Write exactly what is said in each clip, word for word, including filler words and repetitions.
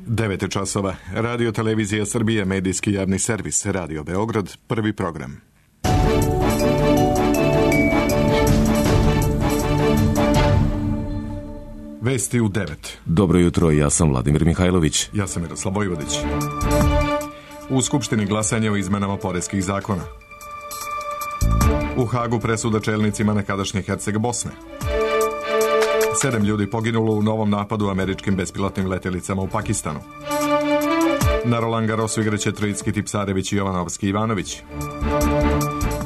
devet časova. Radio Televizija Srbije, medijski javni servis, Radio Beograd, prvi program. Vesti u devet. Dobro jutro, ja sam Vladimir Mihajlović. Ja sam Miroslav Vojvodić. U Skupštini glasanje o izmenama poreskih zakona. U Hagu presuda čelnicima nekadašnje Herceg Bosne. Sedam ljudi poginulo u novom napadu američkim bespilotnim letjelicama u Pakistanu. Na Roland Garrosu igraće Trojicki, Tipsarević i Jovanovski Ivanović.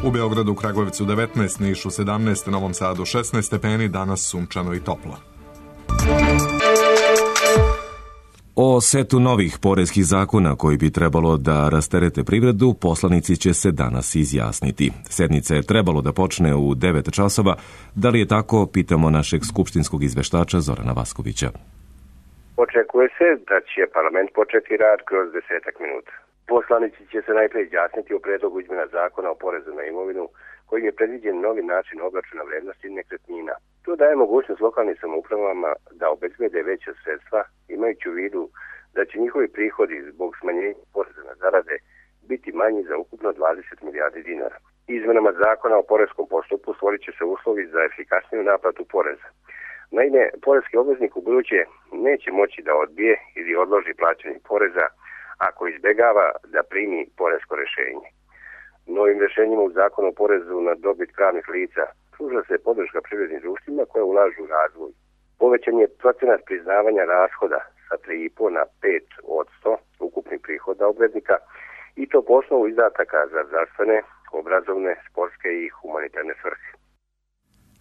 U Beogradu, Kragujevcu devetnaest, Nišu sedamnaest, Novom Sadu šesnaest stepeni, danas sunčano i toplo. O setu novih poreskih zakona koji bi trebalo da rasterete privredu, poslanici će se danas izjasniti. Sednica je trebalo da počne u devet časova. Da li je tako, pitamo našeg skupštinskog izveštača Zorana Vaskovića. Očekuje se da će parlament početi rad kroz desetak minuta. Poslanici će se najprej izjasniti o predlogu izmjena zakona o porezu na imovinu, kojim je predviđen novi način obračuna vrednosti nekretnina. To daje mogućnost lokalnim samoupravama da obezbede veća sredstva, imajući u vidu da će njihovi prihodi zbog smanjenja poreza na zarade biti manji za ukupno dvadeset milijardi dinara. Izmenama zakona o poreskom postupku stvorit će se uslovi za efikasniju naplatu poreza. Naime, poreski obveznik u buduće neće moći da odbije ili odloži plaćanje poreza ako izbjegava da primi poresko rješenje. Novim rješenjima u zakonu o porezu na dobit pravnih lica pruža se podrška privrednim društvima koje ulažu u razvoj. Povećan je procenat priznavanja rashoda sa tri i po na pet posto ukupnih prihoda obveznika i to po osnovu izdataka za zdravstvene, obrazovne, sportske i humanitarne svrhe.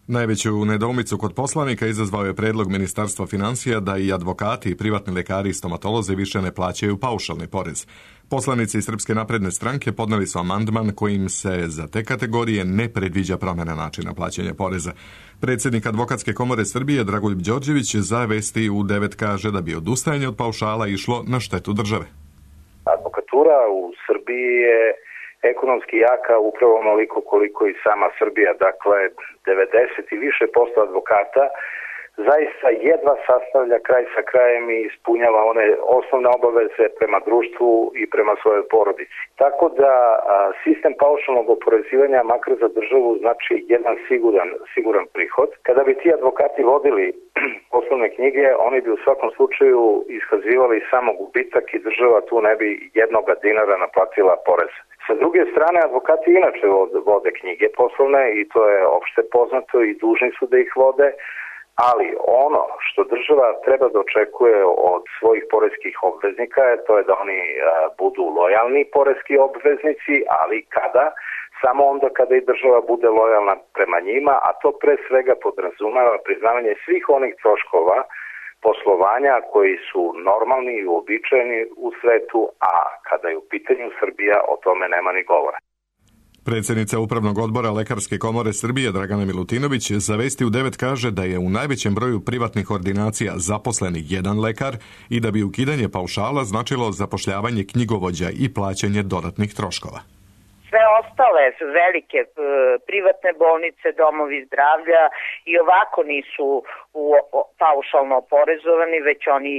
Najveću nedoumicu kod poslanika izazvao je predlog Ministarstva financija da i advokati, privatni lekari i stomatolozi više ne plaćaju paušalni porez. Poslanici Srpske napredne stranke podneli su amandman kojim se za te kategorije ne predviđa promjena načina plaćanja poreza. Predsjednik Advokatske komore Srbije Dragoljub Đorđević za Vesti u devet kaže da bi odustajanje od paušala išlo na štetu države. Advokatura u Srbiji je ekonomski jaka upravo onoliko koliko i sama Srbija, dakle devedeset i više posto advokata zaista jedva sastavlja kraj sa krajem i ispunjava one osnovne obaveze prema društvu i prema svojoj porodici. Tako da a, sistem paušalnog oporezivanja makar za državu znači jedan siguran, siguran prihod. Kada bi ti advokati vodili poslovne knjige, oni bi u svakom slučaju iskazivali samo gubitak i država tu ne bi jednoga dinara naplatila porez. Sa druge strane, advokati inače vode knjige poslovne i to je opšte poznato i dužni su da ih vode, ali ono što država treba da očekuje od svojih poreskih obveznika je to je da oni a, budu lojalni poreski obveznici, ali kada? Samo onda kada i država bude lojalna prema njima, a to pre svega podrazumeva priznavanje svih onih troškova poslovanja koji su normalni i uobičajeni u svetu, a kada je u pitanju Srbija, o tome nema ni govora. Predsjednica Upravnog odbora Lekarske komore Srbije Dragana Milutinović za Vesti u devet kaže da je u najvećem broju privatnih ordinacija zaposleni jedan lekar i da bi ukidanje paušala značilo zapošljavanje knjigovođa i plaćanje dodatnih troškova. Sve ostale velike privatne bolnice, domovi zdravlja i ovako nisu u, paušalno oporezovani, već oni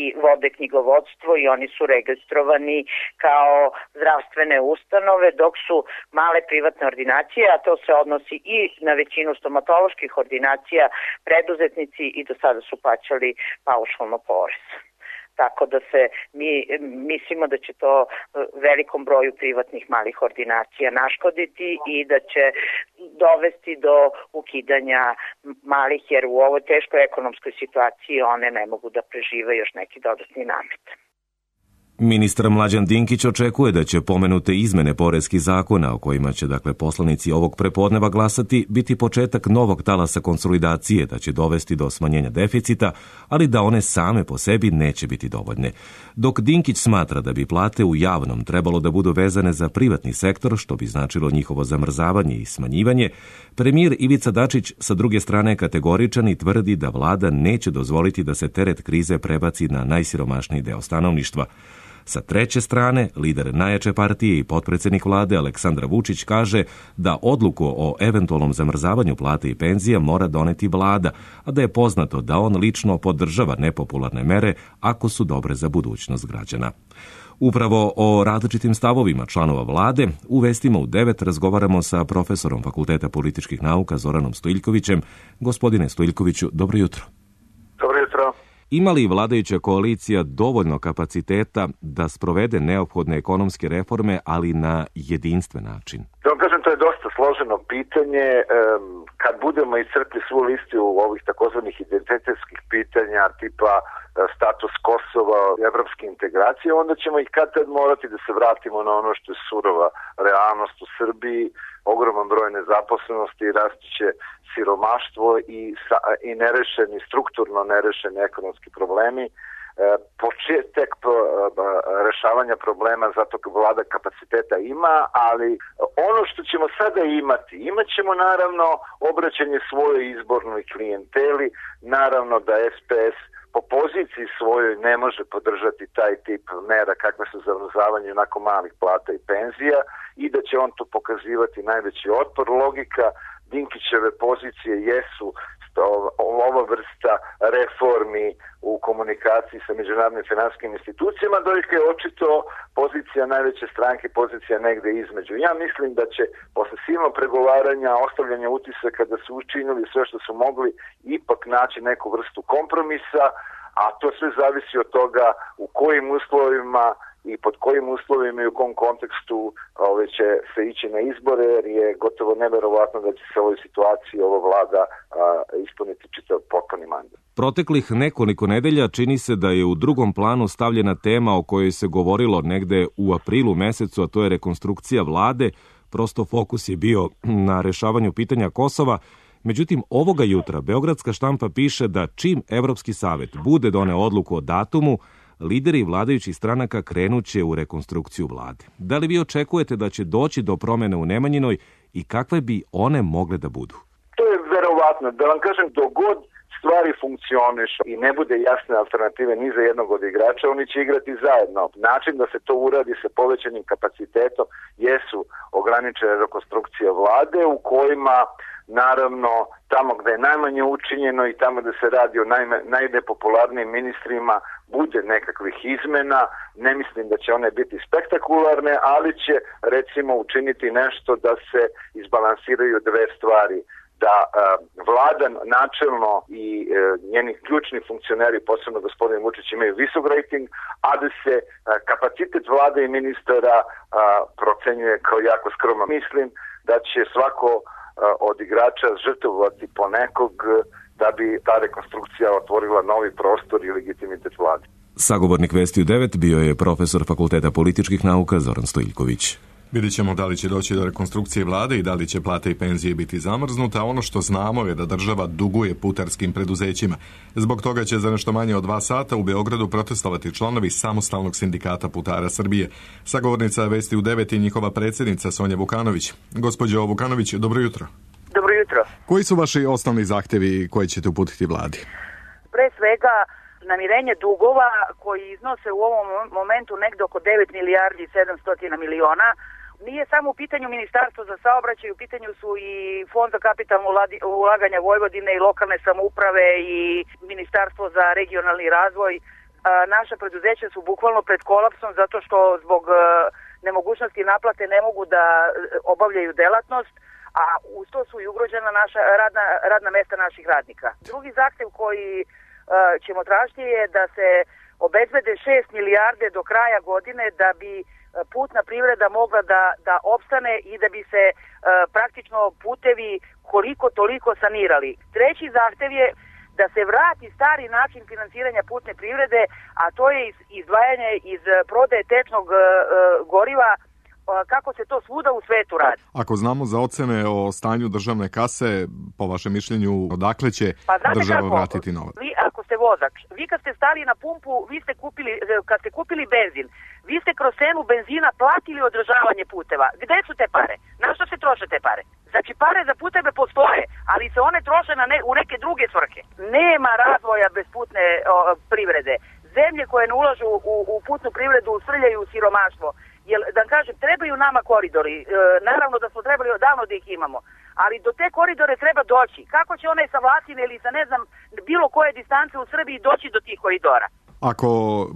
i vode knjigovodstvo i oni su registrovani kao zdravstvene ustanove, dok su male privatne ordinacije, a to se odnosi i na većinu stomatoloških ordinacija, preduzetnici i do sada su plaćali paušalno porez. Tako da se mi mislimo da će to velikom broju privatnih malih ordinacija naškoditi i da će dovesti do ukidanja malih, jer u ovoj teškoj ekonomskoj situaciji one ne mogu da prežive još neki dodatni namet. Ministar Mlađan Dinkić očekuje da će pomenute izmene poreskih zakona, o kojima će dakle poslanici ovog prepodneva glasati, biti početak novog talasa konsolidacije, da će dovesti do smanjenja deficita, ali da one same po sebi neće biti dovoljne. Dok Dinkić smatra da bi plate u javnom trebalo da budu vezane za privatni sektor, što bi značilo njihovo zamrzavanje i smanjivanje, premijer Ivica Dačić sa druge strane kategoričan i tvrdi da vlada neće dozvoliti da se teret krize prebaci na najsiromašniji deo stanovništva. Sa treće strane, lider najjače partije i potpredsjednik vlade Aleksandar Vučić kaže da odluku o eventualnom zamrzavanju plate i penzija mora doneti vlada, a da je poznato da on lično podržava nepopularne mere ako su dobre za budućnost građana. Upravo o različitim stavovima članova vlade u Vestima u devet razgovaramo sa profesorom Fakulteta političkih nauka Zoranom Stojiljkovićem. Gospodine Stojiljkoviću, dobro jutro. Dobro jutro. Ima li vladajuća koalicija dovoljno kapaciteta da sprovede neophodne ekonomske reforme, ali na jedinstven način? Da vam kažem, to je dosta složeno pitanje. Kad budemo iscrpli svu listu ovih takozvanih identitetskih pitanja tipa status Kosova, evropske integracije, onda ćemo ih kad tad morati da se vratimo na ono što je surova realnost u Srbiji, ogroman broj nezaposlenosti, rastuće siromaštvo i, i nerešeni, strukturno nerešeni ekonomski problemi. Početak rešavanja problema, zato vlada kapaciteta ima, ali ono što ćemo sada imati, imat ćemo naravno obraćanje svojoj izbornoj klijenteli, naravno da S P S po poziciji svojoj ne može podržati taj tip mera kakve su zamrzavanje onako malih plata i penzija i da će on tu pokazivati najveći otpor. Logika Dinkićeve pozicije jesu ova vrsta reformi u komunikaciji sa međunarodnim finansijskim institucijama, dok je očito pozicija najveće stranke, pozicija negde između. Ja mislim da će posle silnog pregovaranja, ostavljanja utisaka da su učinili sve što su mogli, ipak naći neku vrstu kompromisa, a to sve zavisi od toga u kojim uslovima i pod kojim uslovima i u kom kontekstu ove, će se ići na izbore, jer je gotovo neverovatno da će se u ovoj situaciji ova vlada a, ispuniti čitav potpuni mandat. Proteklih nekoliko nedelja čini se da je u drugom planu stavljena tema o kojoj se govorilo negde u aprilu mesecu, a to je rekonstrukcija vlade. Prosto fokus je bio na rešavanju pitanja Kosova. Međutim, ovoga jutra Beogradska štampa piše da čim Evropski savet bude doneo odluku o datumu, lideri vladajućih stranaka krenuće u rekonstrukciju vlade. Da li vi očekujete da će doći do promene u Nemanjinoj i kakve bi one mogle da budu? To je verovatno. Da vam kažem, dogod stvari funkcionišu i ne bude jasne alternative ni za jednog od igrača, oni će igrati zajedno. Način da se to uradi sa povećanim kapacitetom jesu ograničene rekonstrukcije vlade u kojima naravno tamo gde je najmanje učinjeno i tamo gde se radi o najme, najnepopularnijim ministrima bude nekakvih izmena. Ne mislim da će one biti spektakularne, ali će recimo učiniti nešto da se izbalansiraju dve stvari. Da uh, vlada načelno i uh, njeni ključni funkcioneri, posebno gospodin Vučić, imaju visok rating, a da se uh, kapacitet vlade i ministara uh, procenjuje kao jako skroman. Mislim da će svako uh, od igrača žrtvovati po nekog uh, da bi ta rekonstrukcija otvorila novi prostor i legitimitet vlade. Sagovornik Vesti u devet bio je profesor Fakulteta političkih nauka Zoran Stojiljković. Vidjet ćemo da li će doći do rekonstrukcije vlade i da li će plate i penzije biti zamrznuta. Ono što znamo je da država duguje putarskim preduzećima. Zbog toga će za nešto manje od dva sata u Beogradu protestovati članovi Samostalnog sindikata putara Srbije. Sagovornica Vesti u devet je njihova predsjednica Sonja Vukanović. Gospođo Vukanović, dobro jutro. Dobro jutro. Koji su vaši osnovni zahtjevi koje ćete uputiti vladi? Pre svega namirenje dugova koji iznose u ovom momentu negde oko devet milijardi i sedamsto miliona. Nije samo u pitanju Ministarstvo za saobraćaj, u pitanju su i Fond za kapitalno ulaganja Vojvodine i lokalne samouprave i Ministarstvo za regionalni razvoj. Naša preduzeća su bukvalno pred kolapsom zato što zbog nemogućnosti naplate ne mogu da obavljaju delatnost, a uz to su i ugrožena naša radna, radna mesta naših radnika. Drugi zahtev koji ćemo tražiti je da se obezbede šest milijarde do kraja godine da bi putna privreda mogla da, da opstane i da bi se e, praktično putevi koliko toliko sanirali. Treći zahtev je da se vrati stari način finansiranja putne privrede, a to je izdvajanje iz prodaje tečnog e, goriva, kako se to svuda u svetu radi. Ako znamo za ocene o stanju državne kase, po vašem mišljenju, odakle će pa država kako, vratiti novac? Vi, ako ste vozač, vi kad ste stali na pumpu, vi ste kupili, kad ste kupili benzin, vi ste kroz cenu benzina platili održavanje puteva. Gde su te pare? Na što se troše te pare? Znači, pare za puteve postoje, ali se one troše na ne, u neke druge svrhe. Nema razvoja bez putne o, privrede. Zemlje koje ne ulažu u, u putnu privredu srljaju u siromaštvo. Jer, da kažem, trebaju nama koridori. E, naravno da smo trebali odavno da ih imamo. Ali do te koridore treba doći. Kako će onaj sa Vlatine ili sa ne znam bilo koje distance u Srbiji doći do tih koridora? Ako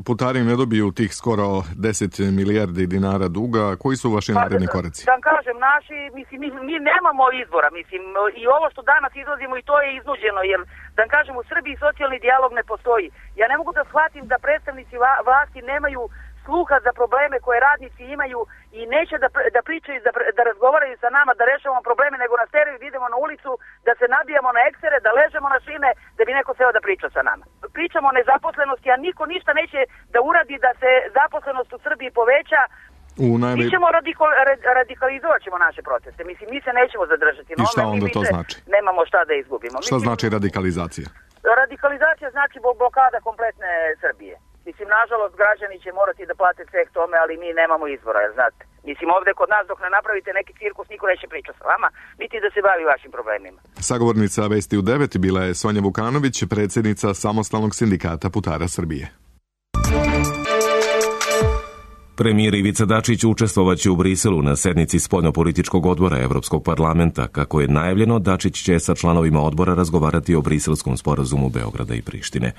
putari ne dobiju tih skoro deset milijardi dinara duga, koji su vaši pa, naredni koraci? Da kažem, naši, mislim, mi, mi nemamo izbora, mislim, i ovo što danas izlazimo i to je iznuđeno, jer, da kažem, u Srbiji socijalni dijalog ne postoji. Ja ne mogu da shvatim da predstavnici vlasti nemaju sluha za probleme koje radnici imaju i neće da, da pričaju, da, da razgovaraju sa nama, da rešavamo probleme, nego nas teraju, da idemo na ulicu, da se nabijamo na eksere, da ležemo na šine, da bi neko seo da priča sa nama. Pričamo o nezaposlenosti, a niko ništa neće da uradi da se zaposlenost u Srbiji poveća. U najve... Mi ćemo radikal, radikalizovat ćemo naše proteste. Mislim, mi se nećemo zadržati. I šta no, onda mi to znači? Nemamo šta da izgubimo. Šta Mislim, znači radikalizacija? Radikalizacija znači blokada kompletne Srbije. Mislim, nažalost, građani će morati da plate ceh tome, ali mi nemamo izbora, znate. Mislim, ovde kod nas dok ne napravite neki cirkus, niko neće pričati sa vama, niti da se bavi vašim problemima. Sagovornica Vesti u devet bila je Sonja Vukanović, predsjednica Samostalnog sindikata putara Srbije. Premijer Ivica Dačić učestvovaće u Briselu na sednici spoljnopolitičkog odbora Evropskog parlamenta. Kako je najavljeno, Dačić će sa članovima odbora razgovarati o briselskom sporazumu Beograda i Prištine.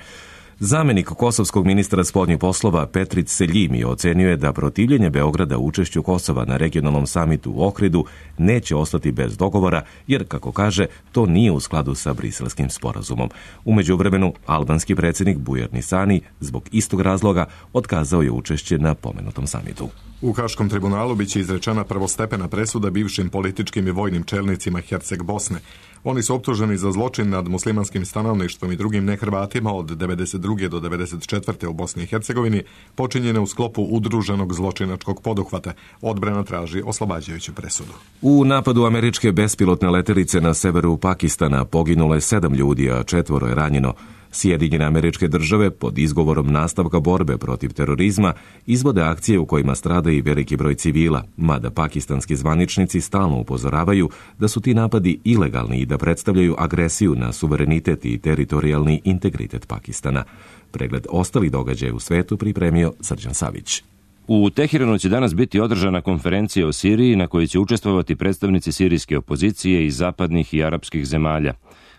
Zamenik kosovskog ministra spoljnih poslova Petrić Seljimi ocenjuje da protivljenje Beograda učešću Kosova na regionalnom samitu u Ohridu neće ostati bez dogovora, jer, kako kaže, to nije u skladu sa briselskim sporazumom. U međuvremenu, albanski predsjednik Bujar Nisani zbog istog razloga otkazao je učešće na pomenutom samitu. U Haškom tribunalu biće izrečena prvostepena presuda bivšim političkim i vojnim čelnicima Herceg Bosne. Oni su optuženi za zločin nad muslimanskim stanovništvom i drugim nehrvatima od devedeset druge do devedeset četvrte u Bosni i Hercegovini, počinjene u sklopu udruženog zločinačkog poduhvata. Odbrana traži oslobađajuću presudu. U napadu američke bespilotne letelice na severu Pakistana poginulo je sedam ljudi, a četvoro je ranjeno. Sjedinjene Američke Države pod izgovorom nastavka borbe protiv terorizma izvode akcije u kojima strada i veliki broj civila, mada pakistanski zvaničnici stalno upozoravaju da su ti napadi ilegalni i da predstavljaju agresiju na suverenitet i teritorijalni integritet Pakistana. Pregled ostalih događaja u svetu pripremio Srđan Savić. U Teheranu će danas biti održana konferencija o Siriji na kojoj će učestvovati predstavnici sirijske opozicije iz zapadnih i arapskih zemalja.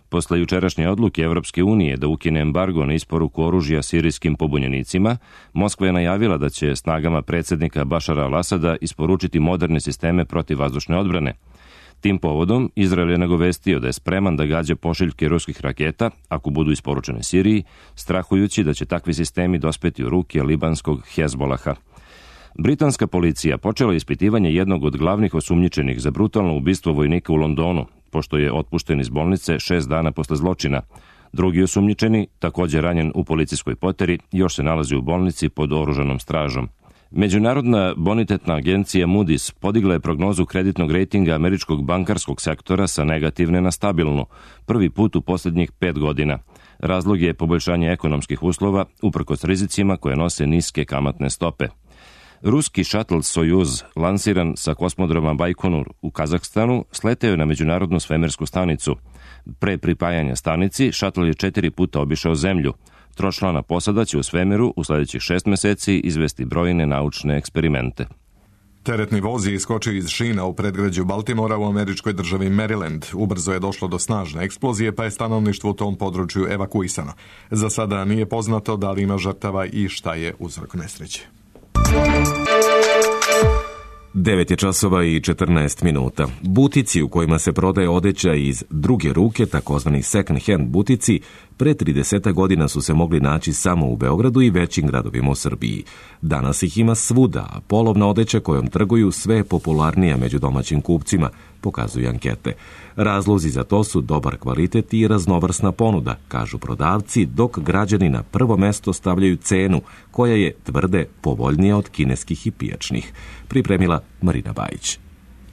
Posle jučerašnje odluke Evropske unije da ukine embargo na isporuku oružja sirijskim pobunjenicima, Moskva je najavila da će snagama predsjednika Bašara al-Asada isporučiti moderne sisteme protivvazdušne odbrane. Tim povodom Izrael je nagovestio da je spreman da gađa pošiljke ruskih raketa ako budu isporučene Siriji, strahujući da će takvi sistemi dospeti u ruke libanskog Hezbolaha. Britanska policija počela ispitivanje jednog od glavnih osumnjičenih za brutalno ubistvo vojnika u Londonu, pošto je otpušten iz bolnice šest dana posle zločina. Drugi osumnjičeni, također ranjen u policijskoj poteri, još se nalazi u bolnici pod oružanom stražom. Međunarodna bonitetna agencija Moody's podigla je prognozu kreditnog rejtinga američkog bankarskog sektora sa negativne na stabilnu, prvi put u posljednjih pet godina. Razlog je poboljšanje ekonomskih uslova uprkos rizicima koje nose niske kamatne stope. Ruski šatl Sojuz, lansiran sa kosmodroma Bajkonur u Kazahstanu, sleteo je na međunarodnu svemirsku stanicu. Pre pripajanja stanici, šatl je četiri puta obišao zemlju. Tročlana posada će u svemiru u sljedećih šest meseci izvesti brojne naučne eksperimente. Teretni voz je iskočio iz šina u predgrađu Baltimora u američkoj državi Maryland. Ubrzo je došlo do snažne eksplozije, pa je stanovništvo u tom području evakuisano. Za sada nije poznato da li ima žrtava i šta je uzrok nesreće. devet je časova i četrnaest minuta. Butici u kojima se prodaje odeća iz druge ruke, takozvani second hand butici, pre trideset godina su se mogli naći samo u Beogradu i većim gradovima u Srbiji. Danas ih ima svuda, a polovna odeća kojom trguju sve je popularnija među domaćim kupcima, pokazuju ankete. Razlozi za to su dobar kvalitet i raznovrsna ponuda, kažu prodavci, dok građani na prvo mesto stavljaju cenu, koja je, tvrde, povoljnija od kineskih i pijačnih. Pripremila Marina Bajić.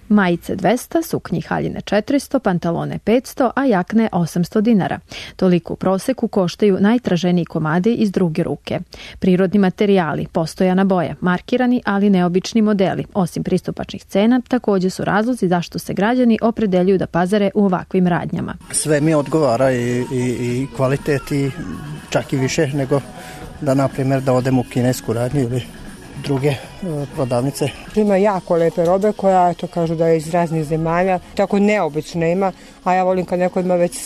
Majice dvesta, suknji haljine četiristo, pantalone petsto, a jakne osamsto dinara. Toliko u proseku koštaju najtraženiji komadi iz druge ruke. Prirodni materijali, postojana boja, markirani ali neobični modeli, osim pristupačnih cena, također su razlozi zašto se građani opredeljuju da pazare u ovakvim radnjama. Sve mi odgovara i, i, i kvalitet i čak i više nego da na primjer da odem u kinesku radnju ili druge e, prodavnice. Ima jako lepe robe koja, eto, kažu da je iz raznih zemalja, tako neobično ima, a ja volim kad neko ima već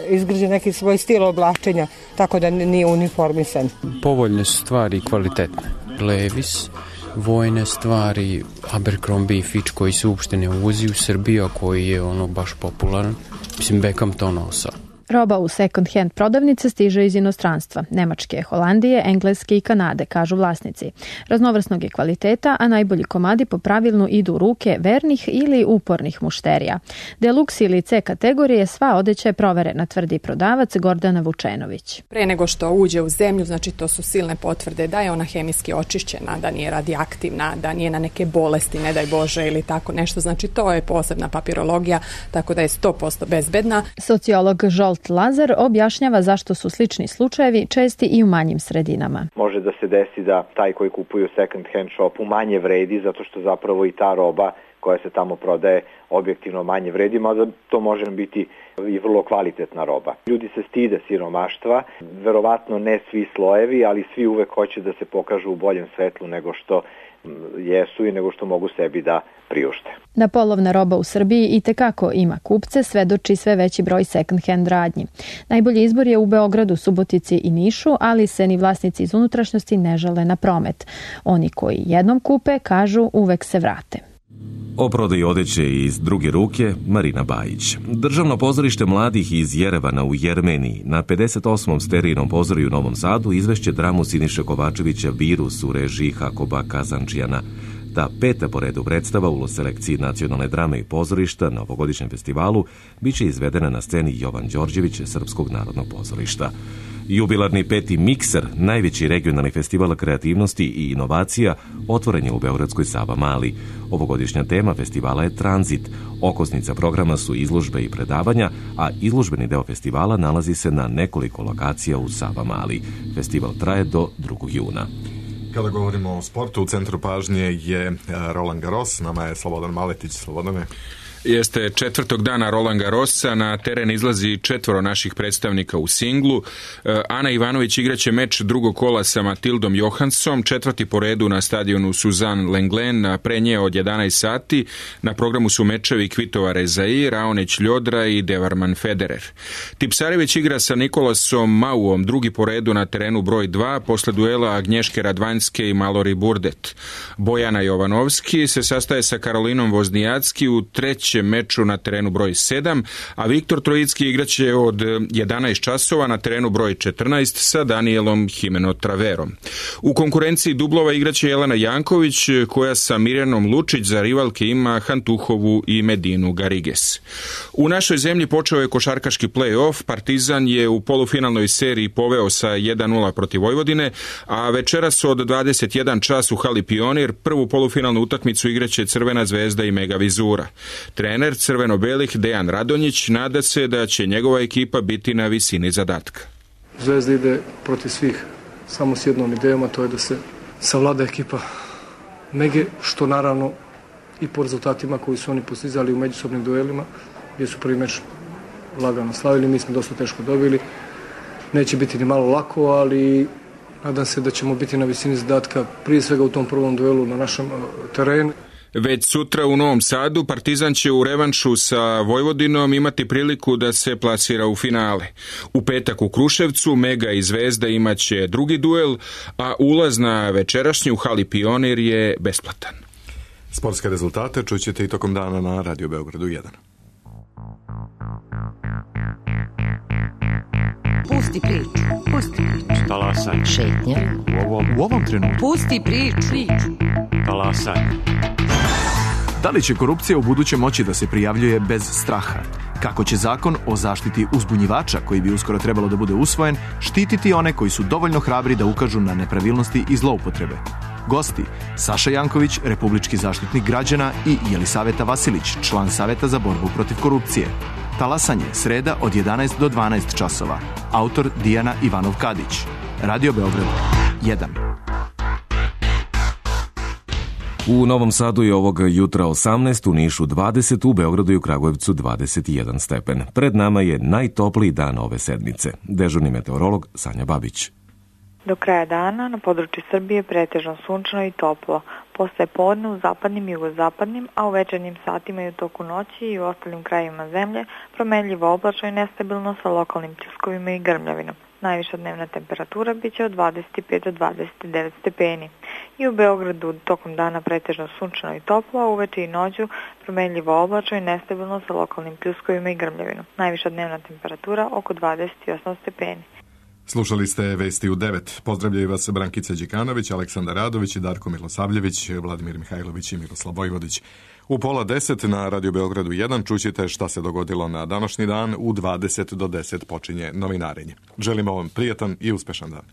izgrađen neki svoj stil oblačenja, tako da nije uniformisan. Povoljne su stvari i kvalitetne. Levis, vojne stvari, Abercrombie i Fitch koji se uopšte ne uvozi u Srbiju, a koji je ono baš popularan. Mislim, Beckham to nosao. Roba u second-hand prodavnice stiže iz inostranstva, Nemačke, Holandije, Engleske i Kanade, kažu vlasnici. Raznovrsnog je kvaliteta, a najbolji komadi po pravilnu idu u ruke vernih ili upornih mušterija. Deluxe ili C kategorije sva odeća je proverena, tvrdi prodavac Gordana Vučenović. Pre nego što uđe u zemlju, znači to su silne potvrde da je ona hemijski očišćena, da nije radioaktivna, da nije na neke bolesti, ne daj Bože, ili tako nešto. Znači to je posebna papirologija, tako da je sto posto bezbedna. Sociolog Žolt Lazar objašnjava zašto su slični slučajevi česti i u manjim sredinama. Može da se desi da taj koji kupuju second hand shopu manje vredi zato što zapravo i ta roba koja se tamo prodaje objektivno manje vredi, mada to može biti i vrlo kvalitetna roba. Ljudi se stide siromaštva, verovatno ne svi slojevi, ali svi uvek hoće da se pokažu u boljem svetlu nego što jesu i nego što mogu sebi da priušte. Da polovna roba u Srbiji itekako ima kupce, svedoči sve veći broj second-hand radnji. Najbolji izbor je u Beogradu, Subotici i Nišu, ali se ni vlasnici iz unutrašnjosti ne žale na promet. Oni koji jednom kupe, kažu, uvek se vrate. O prodaji odeće iz druge ruke, Marina Bajić. Državno pozorište mladih iz Jerevana u Jermeniji na pedeset osmom sterijnom pozorju u Novom Sadu izvešće dramu Siniše Kovačevića Virus u režiji Hakoba Kazančijana. Ta peta po redu predstava u selekciji nacionalne drame i pozorišta na ovogodišnjem festivalu biće izvedena na sceni Jovan Đorđević Srpskog narodnog pozorišta. Jubilarni peti Mikser, najveći regionalni festival kreativnosti i inovacija, otvoren je u beogradskoj Savamali. Ovogodišnja tema festivala je Tranzit. Okosnica programa su izložbe i predavanja, a izložbeni deo festivala nalazi se na nekoliko lokacija u Savamali. Festival traje do drugog juna. Kada govorimo o sportu, u centru pažnje je Roland Garros, nama je Slobodan Maletić. Slobodane. Jeste četvrtog dana Roland Garrosa, na teren izlazi četvoro naših predstavnika u singlu. Ana Ivanović igraće meč drugog kola sa Matildom Johanssom, četvrti po redu na stadionu Suzanne Lenglen, pre nje od jedanaest sati. Na programu su mečevi Kvitova Rezai, Raonić Ljodra i Devarman Federer. Tipsarević igra sa Nikolasom Mauom, drugi po redu na terenu broj dva, posle duela Agnješke Radvanjske i Malori Burdet. Bojana Jovanovski se sastaje sa Karolinom Voznijacki u treći meču na terenu broj sedam, a Viktor Trojicki igraće od jedanaest časova na terenu broj četrnaest sa Danielom Himeno Traverom. U konkurenciji dublova igraće Jelena Janković, koja sa Mirjanom Lučić za rivalke ima Hantuhovu i Medinu Gariges. U našoj zemlji počeo je košarkaški play-off. Partizan je u polufinalnoj seriji poveo sa jedan nula protiv Vojvodine, a večeras od dvadeset jedan čas u hali Pionir prvu polufinalnu utakmicu igraće Crvena zvezda i Mega Vizura. Trener crveno-belih Dejan Radonjić nada se da će njegova ekipa biti na visini zadatka. Zvezda ide protiv svih samo s jednom idejom, a to je da se savlada ekipa Mege, što naravno i po rezultatima koji su oni postizali u međusobnim duelima, gdje su prvi meč lagano slavili, mi smo dosta teško dobili. Neće biti ni malo lako, ali nadam se da ćemo biti na visini zadatka prije svega u tom prvom duelu na našem terenu. Već sutra u Novom Sadu Partizan će u revanšu sa Vojvodinom imati priliku da se plasira u finale. U petak u Kruševcu Mega i Zvezda imaće drugi duel, a ulaz na večerašnju hali Pionir je besplatan. Sportske rezultate čućete i tokom dana na Radio Beogradu jedan. Pusti priču, pusti priču. Talasaj. Šetnja. U ovom, u ovom trenutku. Pusti priču. Talasaj. Da li će korupcija u buduće moći da se prijavljuje bez straha? Kako će zakon o zaštiti uzbunjivača, koji bi uskoro trebalo da bude usvojen, štititi one koji su dovoljno hrabri da ukažu na nepravilnosti i zloupotrebe? Gosti: Saša Janković, republički zaštitnik građana, i Jelisaveta Vasilić, član Saveta za borbu protiv korupcije. Talasanje, sreda od jedanaest do dvanaest časova. Autor Dijana Ivanov-Kadić. Radio Beograd jedan. U Novom Sadu je ovog jutra osamnaest, u Nišu dvadeset, u Beogradu i u Kragujevcu dvadeset jedan stepen. Pred nama je najtopliji dan ove sedmice. Dežurni meteorolog Sanja Babić. Do kraja dana na području Srbije pretežno sunčano i toplo. Posle podne u zapadnim i jugozapadnim, a u večernjim satima i u toku noći i u ostalim krajevima zemlje promenljivo oblačno i nestabilno sa lokalnim pljuskovima i grmljavinom. Najviša dnevna temperatura biće od dvadeset pet do dvadeset devet stepeni. I u Beogradu tokom dana pretežno sunčano i toplo, a uveče i noću promenljivo oblačno i nestabilno sa lokalnim pljuskovima i grmljavinom. Najviša dnevna temperatura oko dvadeset osam stepeni. Slušali ste Vesti u devet. Pozdravljaju vas Brankica Đikanović, Aleksandar Radović, Darko Milosavljević, Vladimir Mihajlović i Miroslav Vojvodić. U pola deset na Radio Beogradu jedan čućete šta se dogodilo na današnji dan. U dvadeset do deset počinje novinarenje. Želimo vam prijatan i uspešan dan.